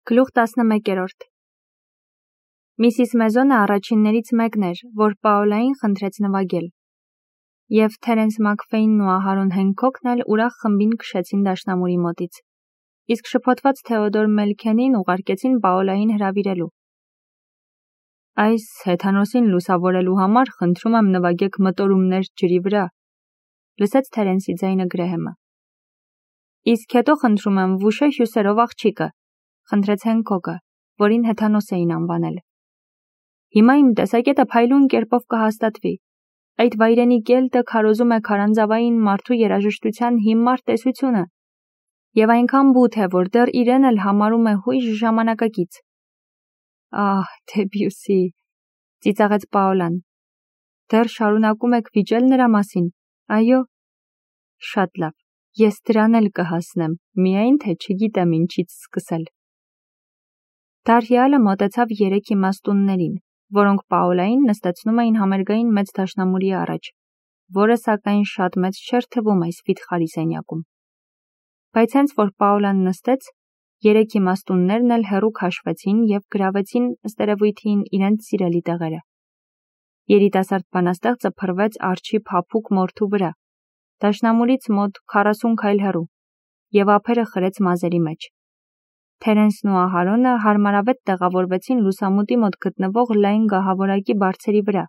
Գլուխ 11-րդ Միսիս Մեզոնը առաջիններից մեկն էր, որ Պաոլային խնդրեց նվագել, և Թերենս Մաքֆեյնն ու Ահարոն Հենքոքն էլ ուրախ խմբին քշեցին դաշնամուրի մոտից, իսկ շփոթված Թեոդոր Մելքենին ուղարկեցին Պաոլային հրավիրելու։ Այս հեթանոսին լուսավորելու համար խնդրում եմ նվագեք մտորումներ ջրի վրա, լսեց Թերենսի ձայնը Գրեհեմը։ Իսկ հետո խնդրում եմ վուշե հյուսերով աղջիկը, խնդրեց Հենքոքը, որին հեթանոս էին անվանել։ Հիմա իմ տեսակետը փայլուն կերպով կհաստատվի։ Այդ վայրենի կելտը քարոզում է քարանձավային մարդու երաժշտության հիմար տեսությունը, և այնքան բութ է, որ դեռ իրեն էլ համարում է հույժ ժամանակակից։ Ահ, Դեբյուսի, ծիծաղեց Պաոլան։ Դեռ շարունակում եք վիճել նրա մասին, այո։ Շատ լավ, ես դրան էլ կհասնեմ, միայն թե չգիտեմ ինչից սկսել։ Դարհյալը մոտեցավ երեք իմաստուններին, որոնք Պաոլային նստեցնում էին համերգային մեծ դաշնամուրի առաջ, որը սակայն շատ մեծ չէր թվում այս վիթխարի սենյակում։ Բայց հենց որ Պաոլան նստեց, երեք իմաստուններն էլ հեռու քաշվեցին և գրավեցին ըստ երևույթին իրենց սիրելի տեղերը։ Երիտասարդ բանաստեղծը փռվեց արջի փափուկ մորթու վրա, դաշնամուրից մոտ 40 քայլ հեռու, և ափերը խրեց մազերի մեջ։ Թերենսն ու Ահարոնը հարմարավետ տեղավորվեցին լուսամուտի մոտ գտնվող լայն գահավորակի բարձերի վրա,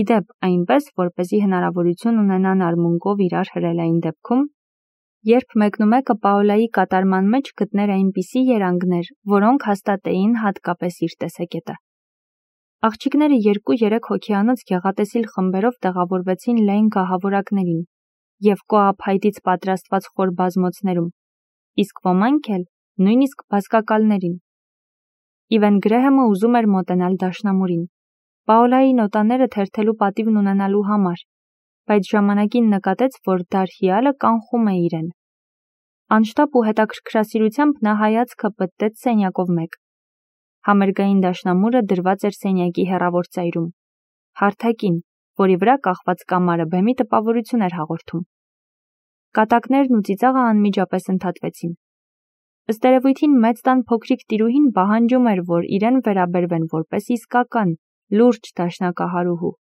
ի դեպ այնպես, որպեսզի հնարավորություն ունենան արմունկով իրար հրել այն դեպքում, երբ մեկնումեկը Պաոլայի կատարման մեջ գտներ այնպիսի երանգներ, որոնք հաստատեին հատկապես իր տեսակետը։ Աղջիկները 2-3 հոգեանոց գեղատեսիլ խմբերով տեղավորվեցին լայն գահավորակներին և կոապայտից պատրաստված խոր բազմոցներում, իսկ ոմանք էլ նույնիսկ բազկակալներին։ Իվեն Գրեհեմը ուզում էր մոտենալ դաշնամուրին, Պաոլայի նոտաները թերթելու պատիվն ունենալու համար, բայց ժամանակին նկատեց, որ դարհյալը կանխում է իրեն։ Անշտապ ու հետաքրքրասիրությամբ նա հայացքը պտտեց սենյակով մեկ։ Համերգային դաշնամուրը դրված էր սենյակի հեռավոր ծայրում, հարթակին, որի վրա կախված կամարը բեմի տպավորություն էր հաղորդում։ Կատակներն ու ծիծաղը անմիջապես ընդհատվեցին։ Ըստ երևույթին մեծ տան փոքրիկ տիրուհին պահանջում էր, որ իրեն վերաբերվեն որպես իսկական, լուրջ դաշնակահարուհու։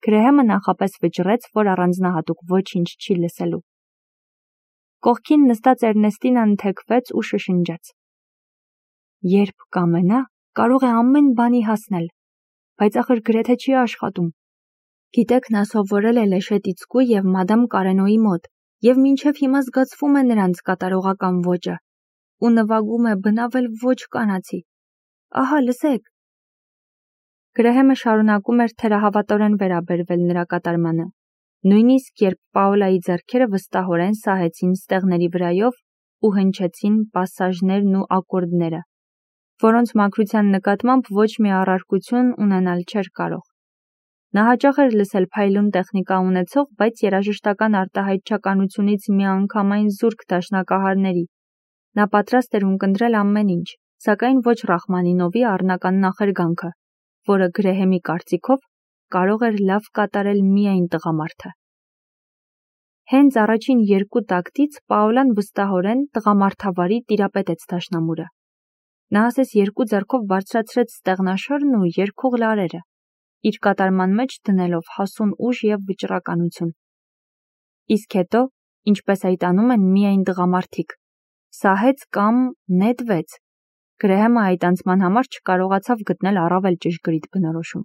Գրեհեմը նախապես վճռեց, որ առանձնահատուկ ոչինչ չի լսելու։ Կողքին նստած Էրնեստինան թեքվեց ու շշնջաց. Երբ կամենա, կարող է ամեն բանի հասնել, բայց ախր գրեթե չի աշխատում։ Գիտեք, նա սովորել է Լեշետիցկու և մադամ Կարենոյի մոտ, և մինչև հիմա զգացվում է նրանց կատարողական ոճը, ու նվագում է բնավել ոչ կանացի։ Ահա, լսեք։ Գրեհեմը շարունակում էր թերահավատորեն վերաբերվել նրա կատարմանը, նույնիսկ երբ Պաոլայի ձեռքերը վստահորեն սահեցին ստեղների վրայով ու հնչեցին պասաժներն ու ակորդները, որոնց մաքրության նկատմամբ ոչ մի առարկություն ունենալ չէր կարող։ Նա հաճախ էր լսել փայլուն տեխնիկա ունեցող, բայց երաժշտական արտահայտչականությունից միանգամայն զուրկ դաշնակահարների։ Նա պատրաստ էր ունկնդրել ամեն ինչ, սակայն ոչ Ռախմանինովի առնական նախերգանքը, որը Գրեհեմի կարծիքով կարող էր լավ կատարել միայն տղամարդը։ Հենց առաջին երկու տակտից Պաոլան վստահորեն տղամարդավարի տիրապետեց դաշնամուրը։ Նա ասես երկու ձեռքով բարձրացրեց ստեղնաշորն ու երկյուղ լարերը, իր կատարման մեջ դնելով հասուն ուժ և վճռականություն։ Իսկ հետո, ինչպես այդ անում են միայն տղամարդիկ, սահեց կամ նետվեց։ Գրեհեմը այդ անցման համար չկարողացավ գտնել առավել ճշգրիտ բնորոշում։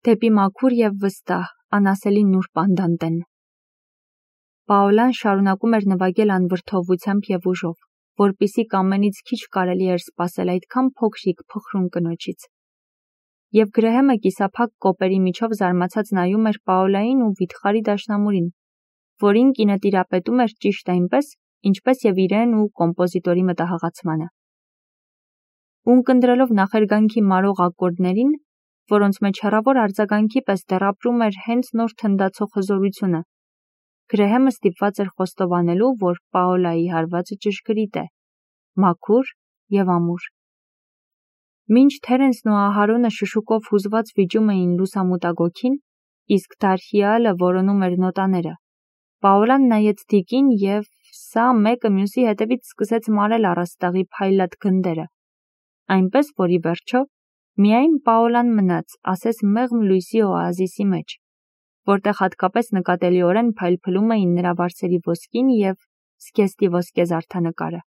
Դեպի մաքուր և վստահ, անասելի նուրբ անդանտեն։ Պաոլան շարունակում էր նվագել անվրդովությամբ և ուժով, որպիսի կամենից քիչ կարելի էր սպասել այդքան փոքրիկ փխրուն կնոջից։ Եվ Գրեհեմը կիսափակ կոպերի միջով զարմացած նայում էր Պաոլային ու վիթխարի դաշնամուրին, որին կինը տիրապետում էր ճիշտ այնպես, ինչպես և իրեն ու կոմպոզիտորի մտահղացմանը։ Ունկնդրելով նախերգանքի մարող ակորդներին, որոնց մեջ հեռավոր արձագանքի պես դեռ ապրում էր հենց նոր թնդացող հզորությունը, Գրեհեմը ստիպված էր խոստովանելու, որ Պաոլայի հարվածը ճշգրիտ է, մաքուր և ամուր։ Մինչ Թերենսն ու Ահարոնը շշուկով հուզված վիճում էին լուսամուտագոգին, իսկ դարհյալը որոնում էր նոտաները, Պաոլան նայեց դիկին և սա մեկը մյուսի հետևից սկսեց մարել առաստաղի փայլատ գնդերը, այնպես, որ ի վերջո միայն Պաոլան մնաց, ասես մեղմ լույսի օազիսի մեջ, որտեղ հատկապես նկատելիորեն փայլփլում էին նրա վարսերի ոսկին և զգեստի ոսկե զարդանկարը։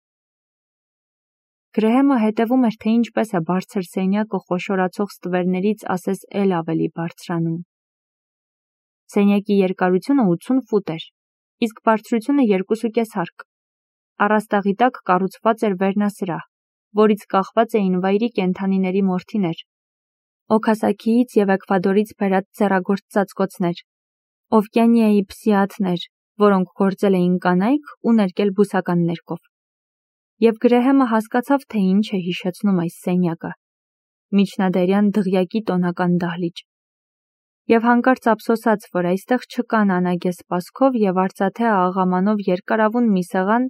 Գրեհեմը հետևում էր, թե ինչպես է բարձր սենյակը խոշորացող ստվերներից ասես էլ ավելի բարձրանում։ Սենյակի երկարությունը 80 ֆուտ էր, իսկ բարձրությունը 2.5 հարկ։ Առաստաղի տակ կառուցված էր վերնասրահ, որից կախված էին վայրի կենդանիների մորթիներ, Օքասաքիից և Էկվադորից բերած ձեռագործ ծածկոցներ, Օվկիանիայի փսիաթներ, որոնք գործել էին կանայք ու ներկել բուսական ներկով։ Եվ Գրեհեմը հասկացավ, թե ինչ է հիշեցնում այս սենյակը՝ միջնադարյան դղյակի տոնական դահլիճ։ Եվ հանկարծ ափսոսաց, որ այստեղ չկան անագե սպասքով և արծաթե աղամանով երկարավուն մի սեղան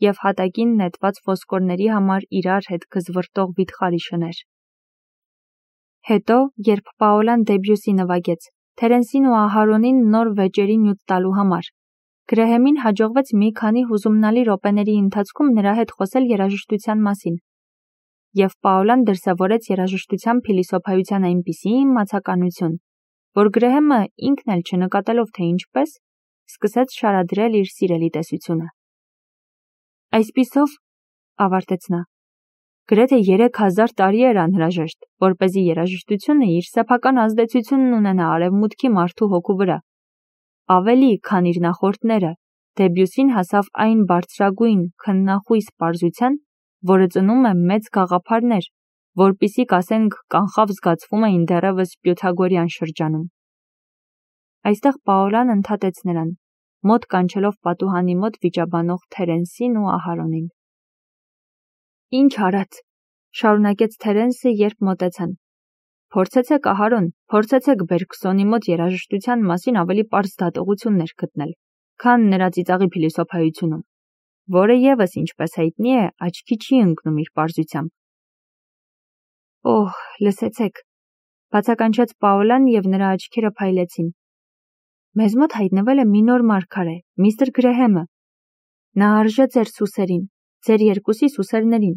և հատակին նետված ոսկորների համար իրար հետ գզվռտող վիթխարի շներ։ Հետո, երբ Պաոլան Դեբյուսի նվագեց, Թերենսին ու Ահարոնին նոր վեճերի նյութ տալու համար, Գրեհեմին հաջողվեց մի քանի հուզումնալի րոպեների ընթացքում նրա հետ խոսել երաժշտության մասին, և Պաոլան դրսևորեց երաժշտության փիլիսոփայության այնպիսի իմացականություն, որ Գրեհեմը ինքն էլ չնկատելով, թե ինչպես, սկսեց շարադրել իր սիրելի տեսությունը։ Այսպիսով, ավարտեց նա, գրեթե 3000 տարի էր անհրաժեշտ, որպեսզի երաժշտությունը իր սեփական ազդեցությունն ունենա արևմուտքի մարդու հոգու վրա։ Ավելի, քան իր նախորդները, Դեբյուսին հասավ այն բարձրագույն, քննախույս պարզության, որը ծնում է մեծ գաղափարներ, որպիսի կասենք կանխավ զգացվում էին դեռևս պյութագորյան շրջանում։ Այստեղ Պաոլան ընդհատեց նրան, մոտ կանչելով պատուհանի մոտ վիճաբանող Թերենսին ու Ահարոնին։ Ինչ արած, շարունակեց Թերենսը, երբ մոտեցան։ Փորձեցեք, Ահարոն, փորձեցեք Բերգսոնի մոտ երաժշտության մասին ավելի պարզ դատողություններ գտնել, քան նրա ծիծաղի փիլիսոփայությունում, որը ևս, ինչպես հայտնի է, աչքի չի ընկնում իր պարզությամբ։ Օհ, լսեցեք, բացականչեց Պաոլան և նրա աչքերը փայլեցին։ Մեզ մոտ հայտնվել է մի նոր մարգարե, միստր Գրեհեմը։ Նա արժե ձեր սուսերին, ձեր երկուսի սուսերներին։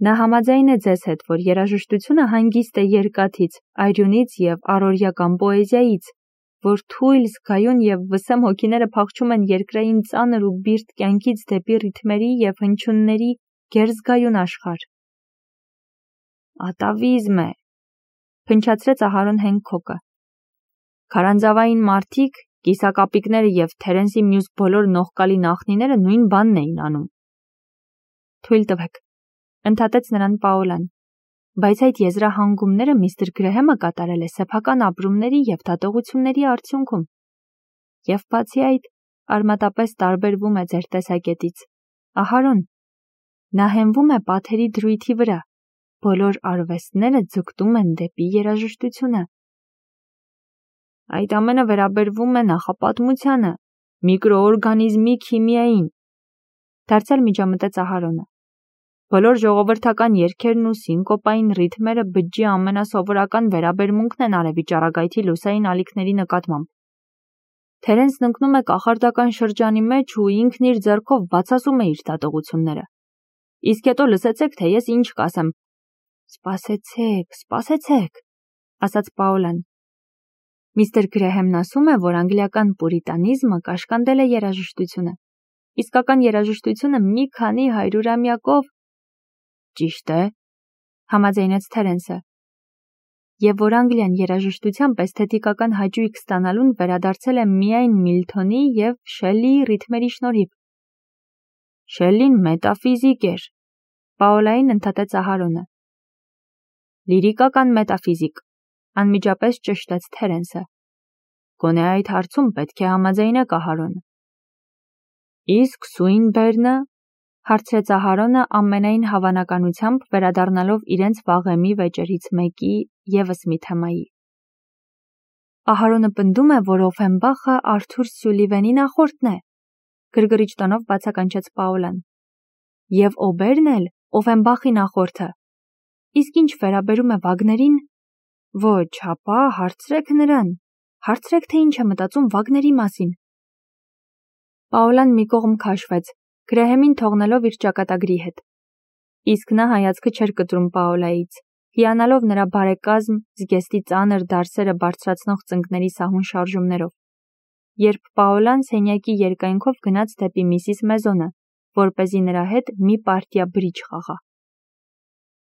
Նա համաձայն է ձեզ հետ, որ երաժշտությունը հանգիստ է երկաթից, այրյունից և առօրյական պոեզիայից, որ թույլ, զգայուն և վսեմ հոգիները փախչում են երկրային ծանր ու բիրտ կյանքից դեպի ռիթմերի և հնչյունների գերզգայուն աշխարհ։ Ատավիզմ է, փնչացրեց Ահարոն Հենքոկը։ Քարանձավային մարդիկ, կիսակապիկները և Թերենսի մյուս բոլոր նողկալի նախնիները նույն բանն էին անում։ Թույլ տվեք, ընդհատեց նրան Պաոլան, բայց այդ եզրահանգումները միստր Գրեհեմը կատարել է սեփական ապրումների և դատողությունների արդյունքում։ Եվ բացի այդ, արմատապես տարբերվում է ձեր տեսակետից։ Ահարոն, նա հենվում է պաթերի դրույթի վրա, բոլոր արվեստները ձգտում են դեպի երաժշտությունը։ Այդ ամենը վերաբերվում է նախապատմությանը, միկրոօրգանիզմի քիմիային, դարձյալ միջամտեց Ահարոնը։ Բոլոր ժողովրդական երգերն ու սինկոպային ռիթմերը բջջի ամենասովորական վերաբերմունքն են արևի ճառագայթի լուսային ալիքների նկատմամբ։ Թերենսն ընկնում է կախարդական շրջանի մեջ ու ինքն իր ձեռքով բացասում է իր դատողությունները։ Իսկ հետո լսեցեք, թե ես ինչ կասեմ։ Սպասեցեք, ասաց Պաոլան։ Միստր Գրեհեմն ասում է, որ անգլիական պուրիտանիզմը կաշկանդել է երաժշտությունը։ Իսկական երաժշտությունը մի քանի հարյուրամյակով ճիշտ է, համաձայնեց Թերենսը։ Եվ որ Անգլիան երաժշտությամբ էսթետիկական հաճույք ստանալուն վերադարձել է միայն Միլթոնի և Շելլիի ռիթմերի շնորհիվ։ Շելլին մետաֆիզիկ էր, Պաոլային ընդհատեց Ահարոնը։ Լիրիկական մետաֆիզիկ, անմիջապես ճշտեց Թերենսը։ Գոնե այդ հարցում պետք է համաձայնեք Ահարոնը։ Իսկ Սուինբերնը, հարցրեց Ահարոնը ամենայն հավանականությամբ վերադառնալով իրենց վաղեմի վեճերից մեկի ևս մի թեմայի։ Ահարոնը պնդում է, որ Օֆենբախը Արթուր Սյուլիվենի նախորդն է, գրգռիչ տոնով բացականչեց Պաոլան։ Եվ Օբերն էլ Օֆենբախի նախորդը։ Իսկ ինչ վերաբերում է Վագներին, ոչ, հապա հարցրեք նրան, հարցրեք, թե ինչ է մտածում Վագների մասին։ Պաոլան մի կողմ քաշվեց, Գրեհեմին թողնելով իր ճակատագրի հետ։ Իսկ նա հայացքը չէր կտրում Պաոլայից, հիանալով նրա բարեկազմ, զգեստի ծանր դարսերը բարձրացնող ծնկների սահուն շարժումներով։ Երբ Պաոլան սենյակի երկայնքով գնաց դեպի Միսիս Մեզոնը, որպեսզի նրա հետ մի պարտիա բրիջ խաղա։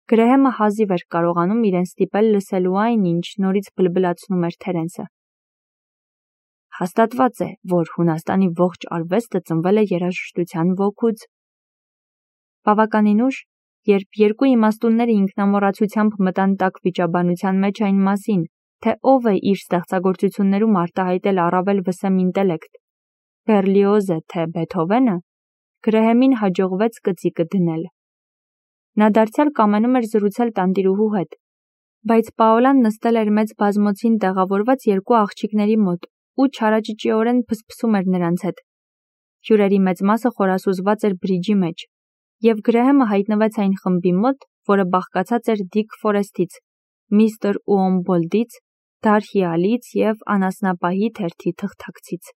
Գրեհեմը հազիվ էր կարողանում իրեն ստիպել լսելու այն, ինչ նորից բլբլացնում էր Թերենսը։ Հաստատված է, որ Հունաստանի ողջ արվեստը ծնվել է երաժշտության ոգուց։ Բավականին ուշ, երբ երկու իմաստունները ինքնամոռացությամբ մտան տաք վիճաբանության մեջ այն մասին, թե ով է իր ստեղծագործություններում արտահայտել առավել վսեմ ինտելեկտ, Բերլիոզը թե Բեթհովենը, Գրեհեմին հաջողվեց կծիկը դնել։ Նա դարձյալ կամենում էր զրուցել տանտիրուհու հետ, բայց Պաոլան նստել էր մեծ բազմոցին տեղավորված երկու աղջիկների մոտ ու չարաճճիորեն փսփսում էր նրանց հետ։ Հյուրերի մեծ մասը խորասուզված էր բրիջի մեջ, և Գրեհեմը հայտնվեց այն խմբի մոտ, որը բաղկացած էր Դիկ Ֆորեսթից, Միսթր Ուոմբոլդից, Դարհի Ալից և անասնապահի թերթի թղթակցից։